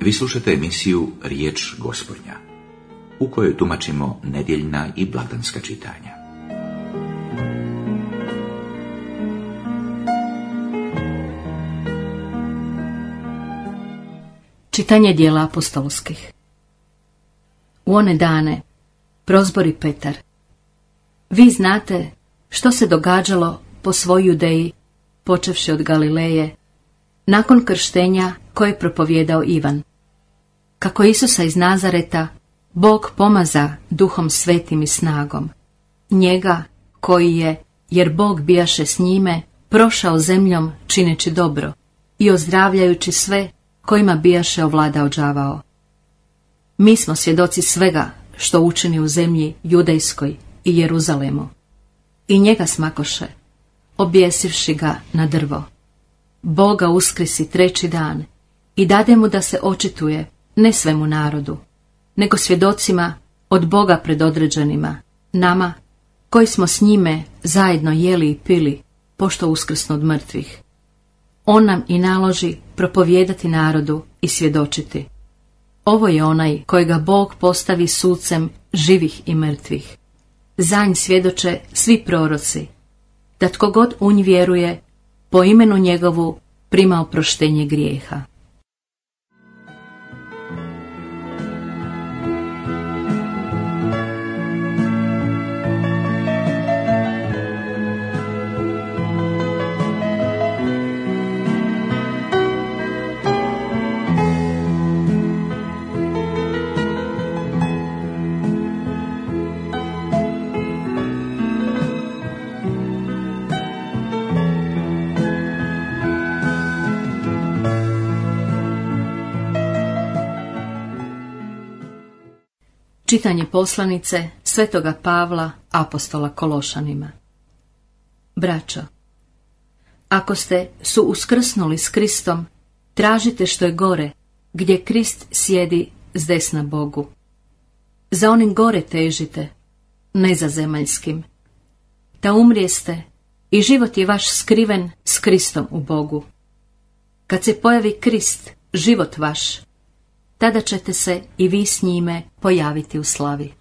Vi slušate emisiju Riječ Gospodnja, u kojoj tumačimo nedjeljna i blagdanska čitanja. Čitanje dijela apostolskih. U one dane prozbori Petar: Vi znate što se događalo po svoj Judeji, počevši od Galileje, nakon krštenja koje je propovijedao Ivan. Kako Isusa iz Nazareta Bog pomaza Duhom Svetim i snagom, njega koji je, jer Bog bijaše s njime, prošao zemljom čineći dobro i ozdravljajući sve kojima bijaše ovladao đavao. Mi smo svjedoci svega što učini u zemlji Judejskoj i Jeruzalemu. I njega smakoše, objesivši ga na drvo. Boga uskrisi treći dan i dade mu da se očituje ne svemu narodu, nego svjedocima od Boga predodređenima, nama koji smo s njime zajedno jeli i pili, pošto uskrsnu od mrtvih. On nam i naloži propovijedati narodu i svjedočiti: Ovo je onaj kojega Bog postavi sucem živih i mrtvih. Za nj svjedoče svi proroci, da tko god u nj vjeruje, po imenu njegovu prima oproštenje grijeha. Čitanje poslanice Svetoga Pavla, apostola Kološanima. Braćo, ako ste su uskrsnuli s Kristom, tražite što je gore, gdje Krist sjedi s desna Bogu. Za onim gore težite, ne za zemaljskim. Da umrijeste i život je vaš skriven s Kristom u Bogu. Kad se pojavi Krist, život vaš, tada ćete se i vi s njime pojaviti u slavi.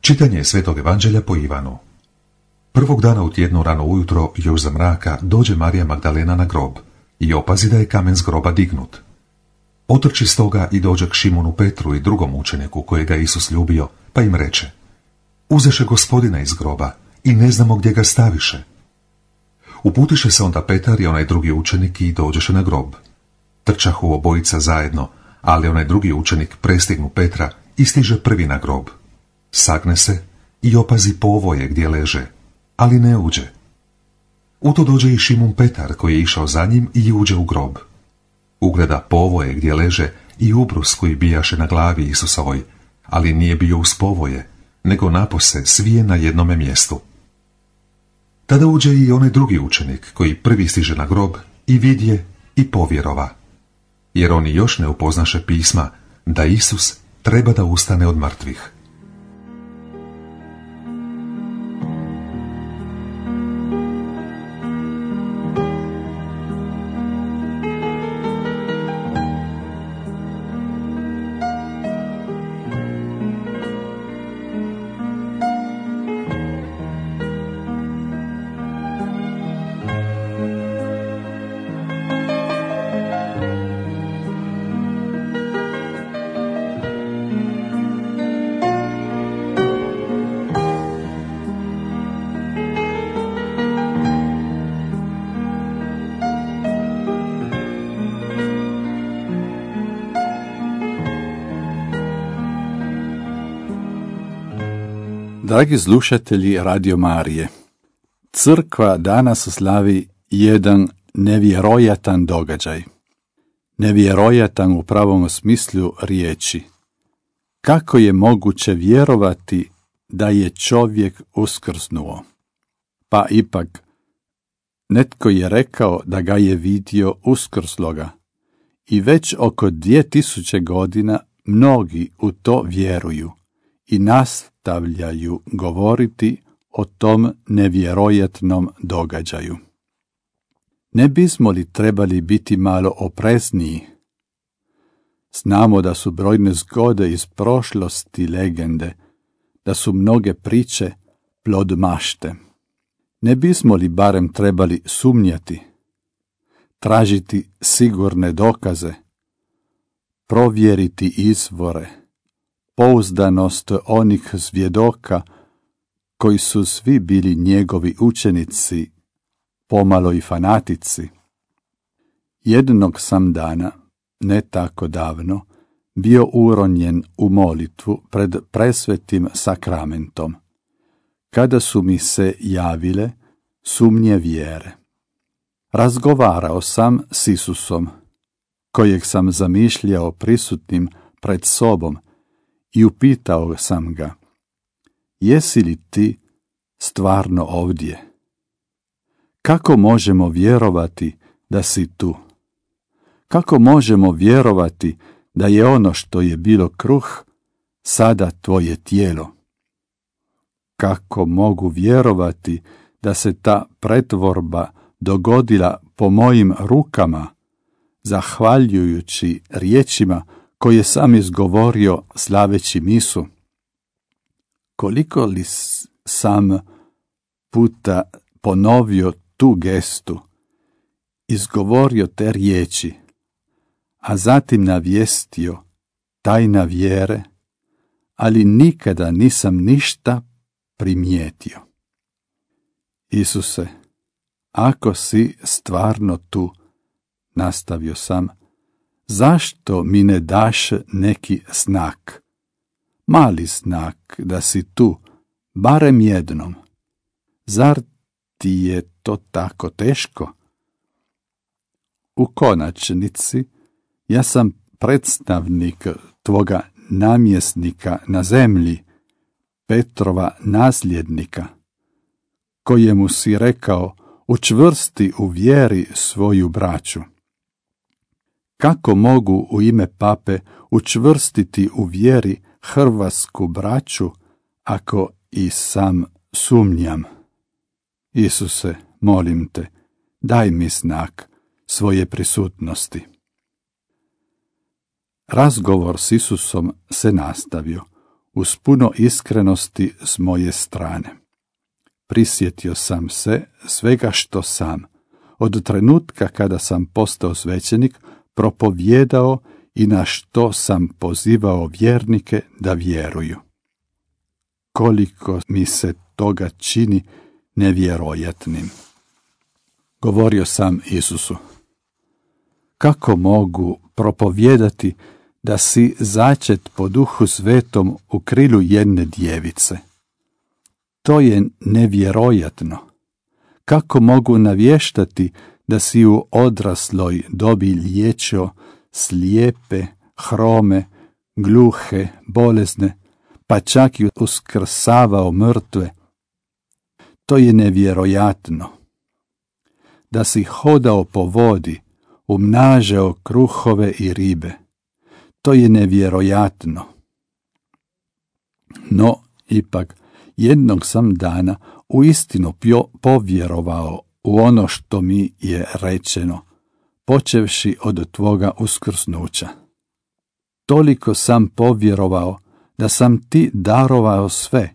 Čitanje Svetog Evanđelja po Ivanu. Prvog dana u tjednu rano ujutro, još za mraka, dođe Marija Magdalena na grob i opazi da je kamen s groba dignut. Otrči stoga i dođe k Šimunu Petru i drugom učeniku kojega je Isus ljubio, pa im reče: Uzeše Gospodina iz groba i ne znamo gdje ga staviše. Uputiše se onda Petar i onaj drugi učenik i dođeše na grob. Trčahu obojica zajedno, ali onaj drugi učenik prestignu Petra i stiže prvi na grob. Sagne se i opazi povoje gdje leže, ali ne uđe. U to dođe i Šimun Petar koji je išao za njim i uđe u grob. Ugleda povoje gdje leže i ubrus koji bijaše na glavi Isusovoj, ali nije bio uz povoje, nego napose svije na jednome mjestu. Tada uđe i onaj drugi učenik koji prvi stiže na grob i vidje i povjerova, jer oni još ne upoznaše pisma da Isus treba da ustane od mrtvih. Dragi slušatelji Radio Marije, crkva danas slavi jedan nevjerojatan događaj. Nevjerojatan u pravom smislu riječi. kako je moguće vjerovati da je čovjek uskrsnuo? Pa ipak, netko je rekao da ga je vidio uskrsloga i već oko 2000 godina mnogi u to vjeruju i nastavljaju govoriti o tom nevjerojatnom događaju. Ne bismo li trebali biti malo oprezniji? Znamo da su brojne zgode iz prošlosti legende, da su mnoge priče plod mašte. Ne bismo li barem trebali sumnjati, tražiti sigurne dokaze, provjeriti izvore, pouzdanost onih svjedoka koji su svi bili njegovi učenici, pomalo i fanatici? Jednog sam dana, ne tako davno, bio uronjen u molitvu pred presvetim sakramentom, kada su mi se javile sumnje vjere. Razgovarao sam s Isusom, kojeg sam zamišljao prisutnim pred sobom, i upitao sam ga: jesi li ti stvarno ovdje? Kako možemo vjerovati da si tu? Kako možemo vjerovati da je ono što je bilo kruh sada tvoje tijelo? Kako mogu vjerovati da se ta pretvorba dogodila po mojim rukama, zahvaljujući riječima koje sam izgovorio slaveći misu? Koliko li sam puta ponovio tu gestu, izgovorio te riječi, a zatim navijestio tajna vjere, ali nikada nisam ništa primijetio. Isuse, ako si stvarno tu, nastavio sam, zašto mi ne daš neki znak? Mali znak da si tu, barem jednom. Zar ti je to tako teško? U konačnici, ja sam predstavnik tvoga namjesnika na zemlji, Petrova nasljednika, kojemu si rekao: učvrsti u vjeri svoju braću. Kako mogu u ime pape učvrstiti u vjeri hrvatsku braću, ako i sam sumnjam? Isuse, molim te, daj mi znak svoje prisutnosti. Razgovor s Isusom se nastavio uz puno iskrenosti s moje strane. Prisjetio sam se svega što sam, od trenutka kada sam postao svećenik, propovijedao i na što sam pozivao vjernike da vjeruju. Koliko mi se toga čini nevjerojatnim. Govorio sam Isusu: kako mogu propovijedati da si začet po Duhu Svetom u krilu jedne djevice? To je nevjerojatno. Kako mogu navještati da si u odrasloj dobi liječio slijepe, hrome, gluhe, bolesne, pa čak i uskrsavao mrtve? To je nevjerojatno. Da si hodao po vodi, umnažao kruhove i ribe. To je nevjerojatno. No, ipak, jednog sam dana uistinu povjerovao u ono što mi je rečeno, počevši od tvoga uskrsnuća. Toliko sam povjerovao da sam ti darovao sve.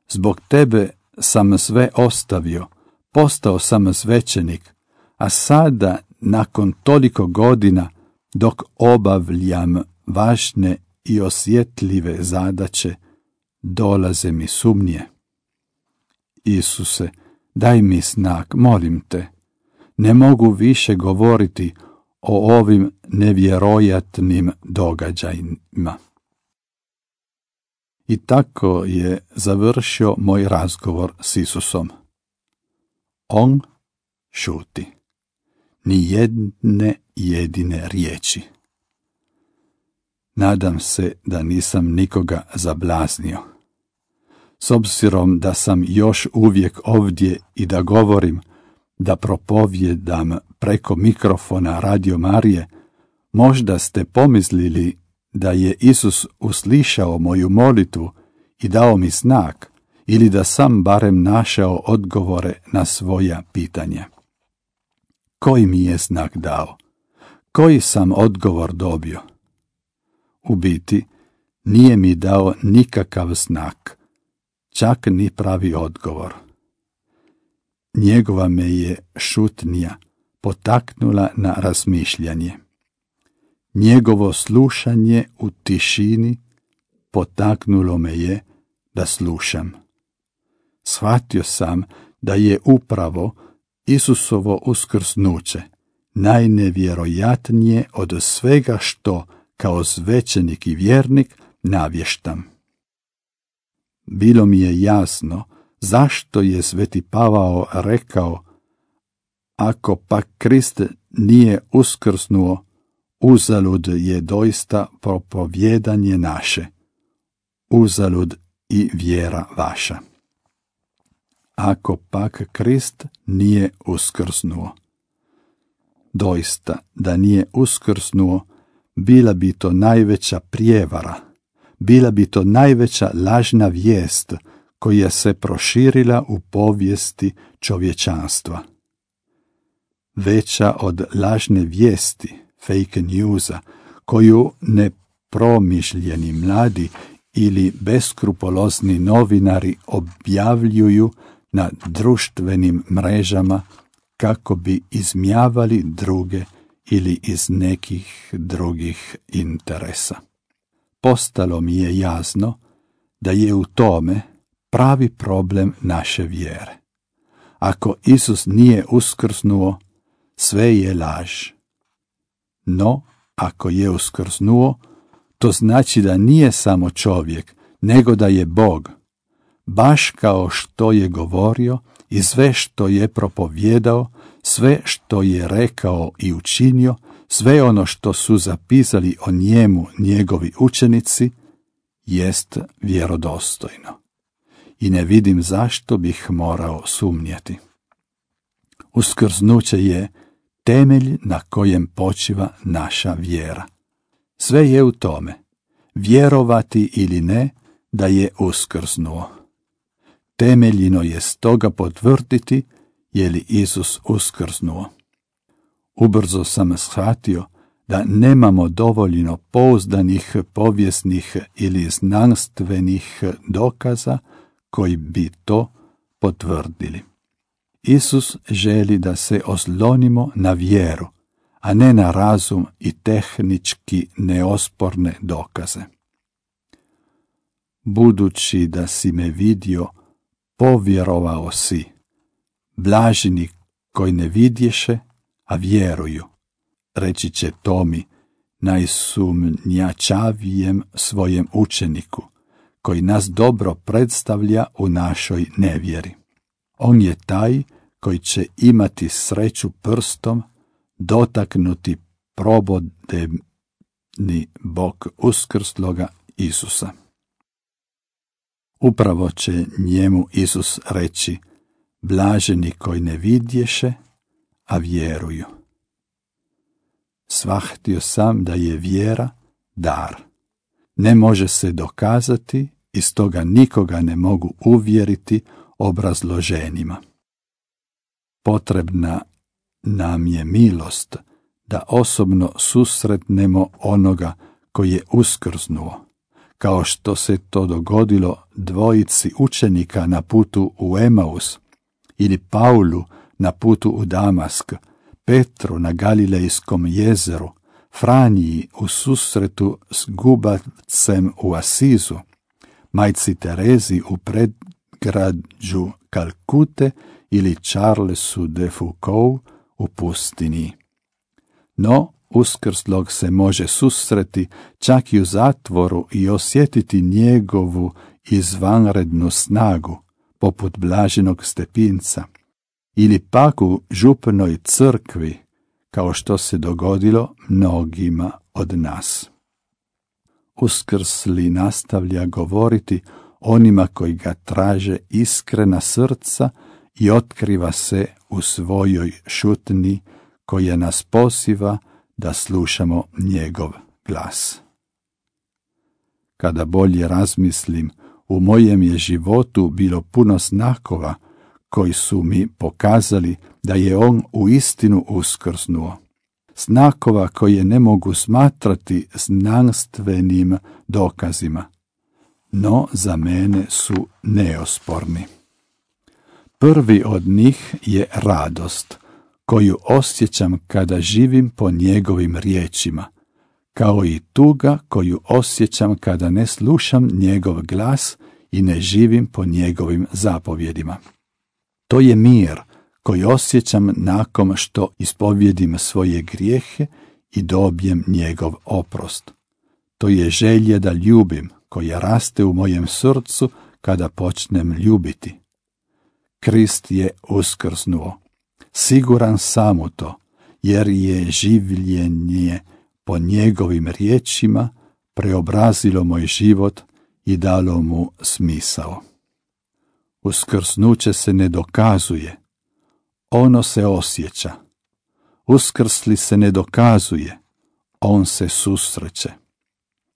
Zbog tebe sam sve ostavio, postao sam svećenik, a sada, nakon toliko godina, dok obavljam važne i osjetljive zadaće, dolaze mi sumnje. Isuse, daj mi znak, molim te. Ne mogu više govoriti o ovim nevjerojatnim događajima. I tako je završio moj razgovor s Isusom. On šuti. Ni jedne jedine riječi. Nadam se da nisam nikoga zablaznio. S obzirom da sam još uvijek ovdje i da govorim, da propovjedam preko mikrofona Radio Marije, možda ste pomislili da je Isus uslišao moju molitvu i dao mi znak, ili da sam barem našao odgovore na svoja pitanja. Koji mi je znak dao? Koji sam odgovor dobio? U biti, nije mi dao nikakav znak, čak ni pravi odgovor. Njegova me je šutnja potaknula na razmišljanje. Njegovo slušanje u tišini potaknulo me je da slušam. Shvatio sam da je upravo Isusovo uskrsnuće najnevjerojatnije od svega što kao svećenik i vjernik navještam. Bilo mi je jasno zašto je Sveti Pavao rekao: ako pak Krist nije uskrsnuo, uzalud je doista propovjedanje naše, uzalud i vjera vaša. Ako pak Krist nije uskrsnuo. Doista, da nije uskrsnuo, bila bi to najveća prijevara, bila bi to najveća lažna vijest koja se proširila u povijesti čovječanstva. Veća od lažne vijesti, fake newsa, koju nepromišljeni mladi ili beskrupulozni novinari objavljuju na društvenim mrežama kako bi izmijavali druge ili iz nekih drugih interesa. Postalo mi je jasno da je u tome pravi problem naše vjere. Ako Isus nije uskrsnuo, sve je laž. No, ako je uskrsnuo, to znači da nije samo čovjek, nego da je Bog, baš kao što je govorio i sve što je propovjedao, sve što je rekao i učinio, sve ono što su zapisali o njemu njegovi učenici, jest vjerodostojno. I ne vidim zašto bih morao sumnjati. Uskrsnuće je temelj na kojem počiva naša vjera. Sve je u tome, vjerovati ili ne, da je uskrsnuo. Temeljino je stoga potvrditi je li Isus uskrsnuo. Ubrzo sam shvatio da nemamo dovoljno pouzdanih povijesnih ili znanstvenih dokaza koji bi to potvrdili. Isus želi da se oslonimo na vjeru, a ne na razum i tehnički neosporne dokaze. Budući da si me vidio, povjerovao si. Blaženi koji ne vidješe, a vjeruju, reći će Tomi, najsumnjačavijem svojem učeniku, koji nas dobro predstavlja u našoj nevjeri. On je taj koji će imati sreću prstom dotaknuti probodeni bok uskrsloga Isusa. Upravo će njemu Isus reći: blaženi koji ne vidješe, a vjeruju. Shvatio sam da je vjera dar. Ne može se dokazati i stoga nikoga ne mogu uvjeriti obrazloženjima. Potrebna nam je milost da osobno susretnemo onoga koji je uskrsnuo, kao što se to dogodilo dvojici učenika na putu u Emaus, ili Paulu na putu u Damask, Petru na Galilejskom jezeru, Franji u susretu s Gubavcem u Asizu, majci Terezi u predgrađu Kalkute ili Charlesu de Foucault u pustini. No, uskrslog se može susreti čak i u zatvoru i osjetiti njegovu izvanrednu snagu, poput blaženog Stepinca, ili pak u župnoj crkvi, kao što se dogodilo mnogima od nas. uskrsli nastavlja govoriti onima koji ga traže iskrena srca i otkriva se u svojoj šutni koja nas poziva da slušamo njegov glas. Kada bolje razmislim, u mojem je životu bilo puno znakova koji su mi pokazali da je on uistinu uskrsnuo. Znakova koje ne mogu smatrati znanstvenim dokazima, no za mene su neosporni. Prvi od njih je radost, koju osjećam kada živim po njegovim riječima, kao i tuga koju osjećam kada ne slušam njegov glas i ne živim po njegovim zapovjedima. To je mir koji osjećam nakon što ispovjedim svoje grijehe i dobijem njegov oprost. To je želja da ljubim, koja raste u mojem srcu kada počnem ljubiti. Krist je uskrsnuo. Siguran sam u to, jer je življenje po njegovim riječima preobrazilo moj život i dalo mu smisao. Uskrsnuće se ne dokazuje, ono se osjeća. Uskrsli se ne dokazuje, on se susreće.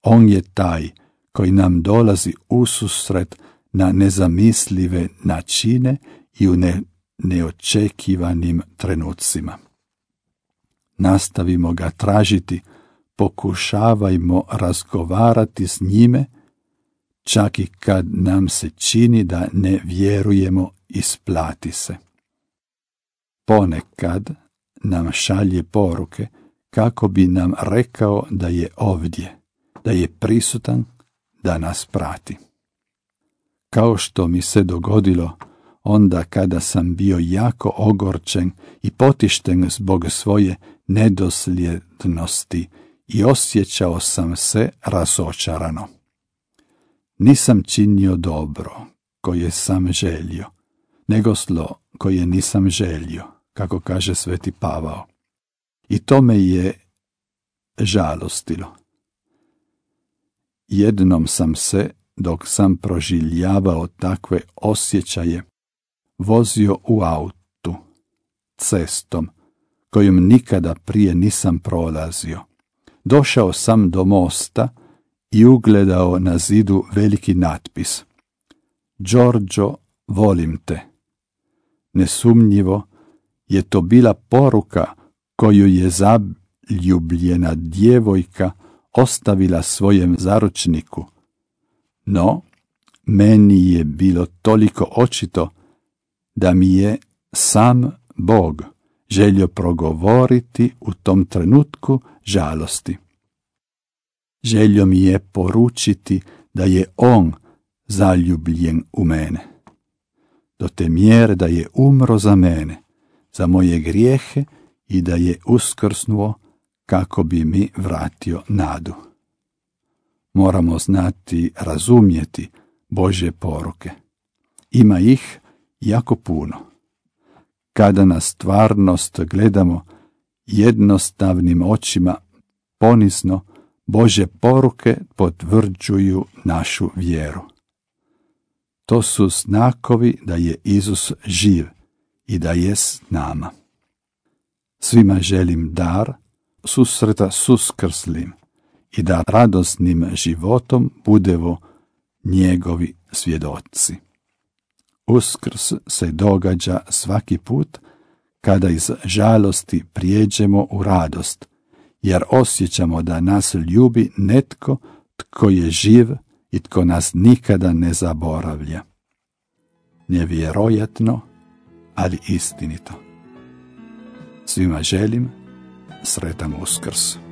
On je taj koji nam dolazi ususret na nezamislive načine i u neočekivanim trenucima. Nastavimo ga tražiti, pokušavajmo razgovarati s njime, čak i kad nam se čini da ne vjerujemo, isplati se. Ponekad nam šalje poruke kako bi nam rekao da je ovdje, da je prisutan, da nas prati. Kao što mi se dogodilo onda kada sam bio jako ogorčen i potišten zbog svoje nedosljednosti i osjećao sam se razočarano. Nisam činio dobro koje sam želio, nego zlo koje nisam želio, kako kaže sveti Pavao. I to me je žalostilo. Jednom sam se, dok sam proživljavao takve osjećaje, vozio u autu, cestom, kojom nikada prije nisam prolazio. Došao sam do mosta i ugledao na zidu veliki natpis: Đorđo, volim te. Nesumnjivo je to bila poruka koju je zaljubljena djevojka ostavila svojem zaručniku, no meni je bilo toliko očito da mi je sam Bog želio progovoriti u tom trenutku žalosti. Želio mi je poručiti da je on zaljubljen u mene, do te mjere da je umro za mene, za moje grijehe i da je uskrsnuo kako bi mi vratio nadu. Moramo znati razumjeti Božje poruke. Ima ih jako puno. Kada na stvarnost gledamo jednostavnim očima, ponizno, Božje poruke potvrđuju našu vjeru. To su znakovi da je Isus živ i da je s nama. Svima želim dar susreta s uskrslim i da radosnim životom budevo njegovi svjedoci. Uskrs se događa svaki put kada iz žalosti prijeđemo u radost, jer osjećamo da nas ljubi netko tko je živ i tko nas nikada ne zaboravlja. Nevjerojatno, ali istinito. Svima želim sretan Uskrs.